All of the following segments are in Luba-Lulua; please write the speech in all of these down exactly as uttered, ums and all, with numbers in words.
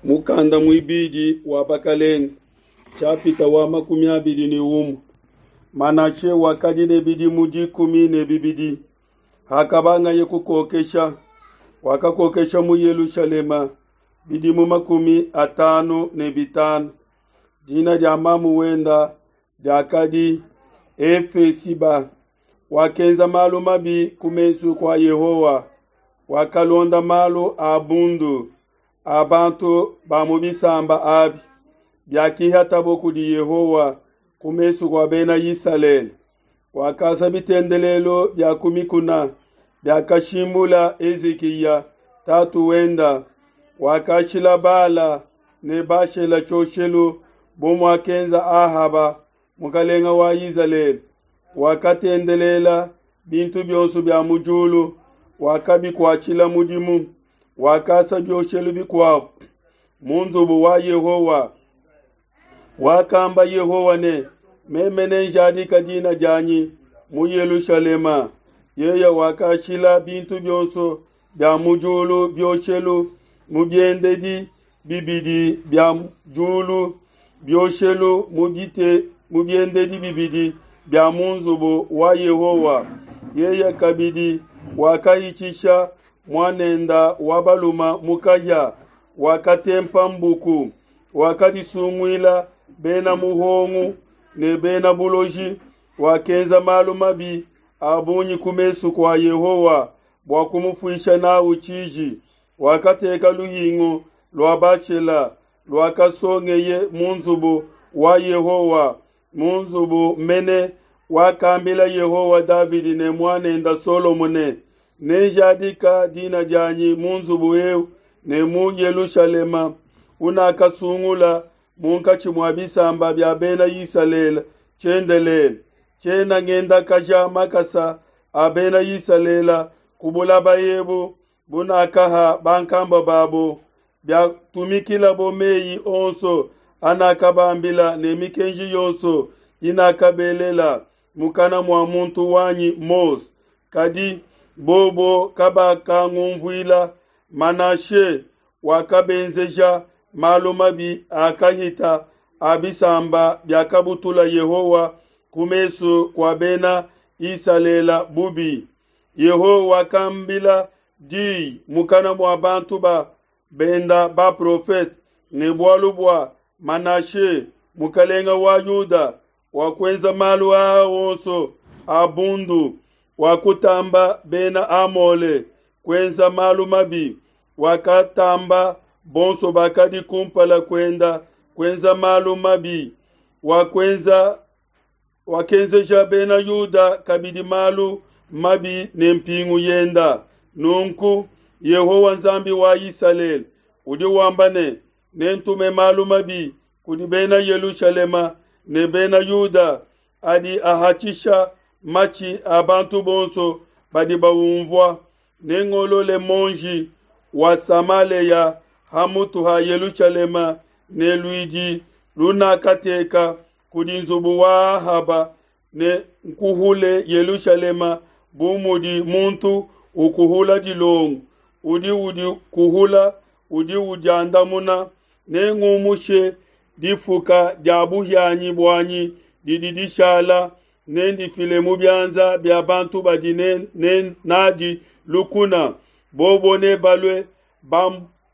Mukanda muibidi wa Bakelenge, shapita wa makumi abidi ne umue. Manashe wakadi ne bidimu dikumi ne bibidi hakabangaye kukokesha, wakakokesha mu Yelushalema bidimu makumi atanu ne bitanu. Dina dia mamu wenda diakadi Efesiba. Wakenza malu mabi ku mesu kua Yehowa, wakalonda malu a bundu a bantu ba mu bisamba abi biakihatabo kudi Yehowa ku mesu kua Bena Isalele. Wakasa bitendelelu bia ku mikuna biakashimbula Hezikiya tatu wenda, wakashila Bala ne Bashela tshioshelu bu muakenza Ahaba mukelenge wa Isalele. Wakatendelela bintu bionso bia mu diulu, wakabikuatshila mudimu. Wakasa bioshelu bikuabo mu nzubu wa Yehowa. Wakamba Yehowa ne, meme nenjadika dina dianyi mu Yelushalema. Yeye wakashila bintu bionso bia mu diulu bioshelu mu biendedi bibidi bia diulu, bioshelu mu bite mu biendedi bibidi bia mu nzubu wa Yehowa. Yeye kabidi wakahitshisha muanenda wa baluma mu kahia, wakatempa mbuku, wakadisunguila bena muhongu ne bena buloji, wakenza malu mabi a bungi ku mesu kua Yehowa bua kumufuisha n'au tshiji. Wakateka luhingu lua Bashela luakasongeye mu nzubu wa Yehowa, mu nzubu mene wakambila Yehowa Davidi ne muanenda Solomo ne, nenjadika dina dianyi mu nzubu eu ne mu Yelushalema unakasungula munkatshi mua bisamba bia Bena Isalele tshiendelele. Tshiena ngendakaja makasa a Bena Isalele ku bulaba ebu bunakaha bankambua babo, biatumikilabo meyi onso anakabambila ne mikenji yonso inakabelela mukana mua muntu wanyi Mose. Kadi bobo kabakangunvuila. Manashe wakabenzeja malu mabi akahita a bisamba biakabutula Yehowa ku mesu kua Bena Isalele bubi. Yehowa wakambila diyi mukana mua bantu ba benda baprofete ne bualu bua Manashe mukelenge wa Yuda wakuenza malu aa onso a bundu, wakutamba Bena Amole kuenza malu mabi, wakatamba bonso bakadi kumpala kuenda kuenza malu mabi, wakuenza wakenzeja Bena Yuda kabidi malu mabi ne mpingu yenda. Nunku Yehowa Nzambi wa Isalele udi wamba ne, nentume malu mabi kudi Bena Yelushalema ne Bena Yuda adi ahatshisha matshi a bantu bonso badi baumvua. Nengolole monji wa Samalea ha mutu ha Yelushalema ne luidi lunakateka kudi nzubu wa Ahaba, ne nkuhule Yelushalema bu mudi muntu ukuhula dilongo, udi udikuhula udi udiandamuna. Nengumushe difuka dia buhianyi buanyi didi dishala, nendifile mu bianza bia bantu badi ne, ne, nadi lukuna. Bobo nebalue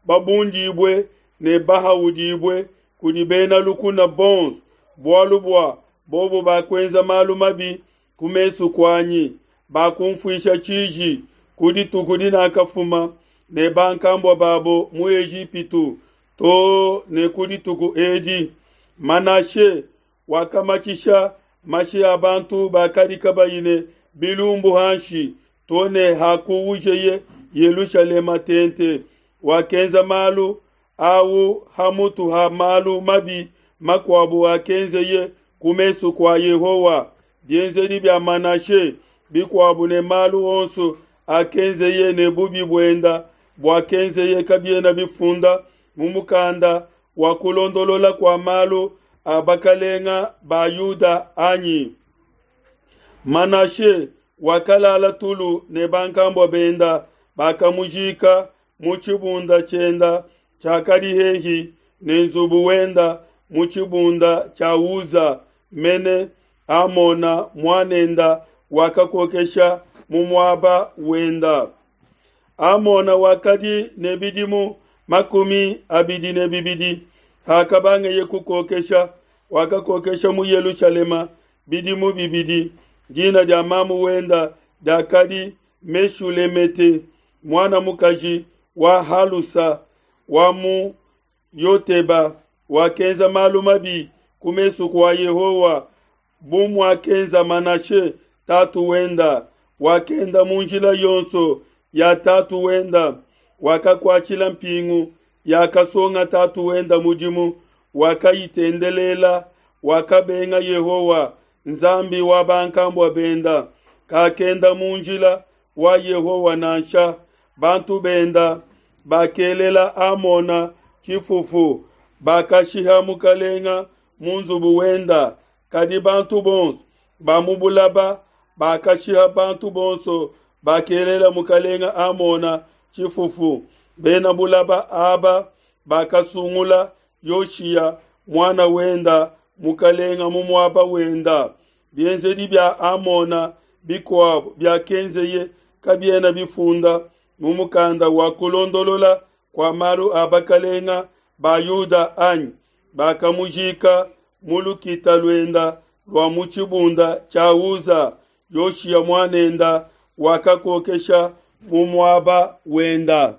babundibue ne bahaudibue kudi bena lukuna bonso, bualu bua bobo bakuenza malu mabi ku mesu kuanyi, bakunfuisha tshiji ku dituku dinakafuma ne bankambua babo mu Ejipitu to ne ku dituku edi. Manashe wakamatshisha mashi a bantu bakadi kabayi ne bilumbu hanshi to ne hakuwujeye Yelushalema tente. Wakenza malu au ha mutu ha malu mabi makuabu akenzeye ku mesu kua Yehowa. Bienzedi bia Manashe bikuabu ne malu onso akenzeye ne bubi buenda buakenzeye kabiena bifunda mu mukanda wa kulondolola kua malu a bakalenga ba Yuda anyi? Manashe wakalala tulu ne bankambua benda, bakamujika mu tshibunda tshienda tshiakadi hehi ne nzubu wenda mu tshibunda tshia Uza mene Amona muanenda wakakokesha mu muaba wenda. Amona wakadi ne bidimu makumi abidi ne bibidi hakabangeye kukokesha, wakakokesha mu Yelushalema bidimu bibidi. Dina dia mamu wenda diakadi Meshulemete, muana mukaji wa Halusa wa mu Yoteba. Wakenza malu mabi ku mesu kua Yehowa bu muakenza Manashe tatu wenda. Wakenda mu njila yonso ya tatu wenda, wakakuatshila mpingu yakasonga tatu wenda mudimu, wakayitendelela. Wakabenga Yehowa Nzambi wa bankambua benda, kakenda mu njila wa Yehowa nansha. Bantu benda bakelela Amona tshifufu, bakashiha mukalenga mu nzubu wenda. Kadi bantu bonso ba mu bulaba bakashiha bantu bonso bakelela mukalenga Amona tshifufu. Bena bulaba aba bakasungula Yoshiya muana wenda mukalenga mu muaba wenda. Bienzedi bia Amona bikuabo biakenzeye kabiena bifunda mu mukanda wa kulondolola kua malu a bakalenga ba Yuda anyi? Bakamujika mu lukita luenda lua mu tshibunda tshia Uza. Yoshiya muanenda wakakokesha mu muaba wenda.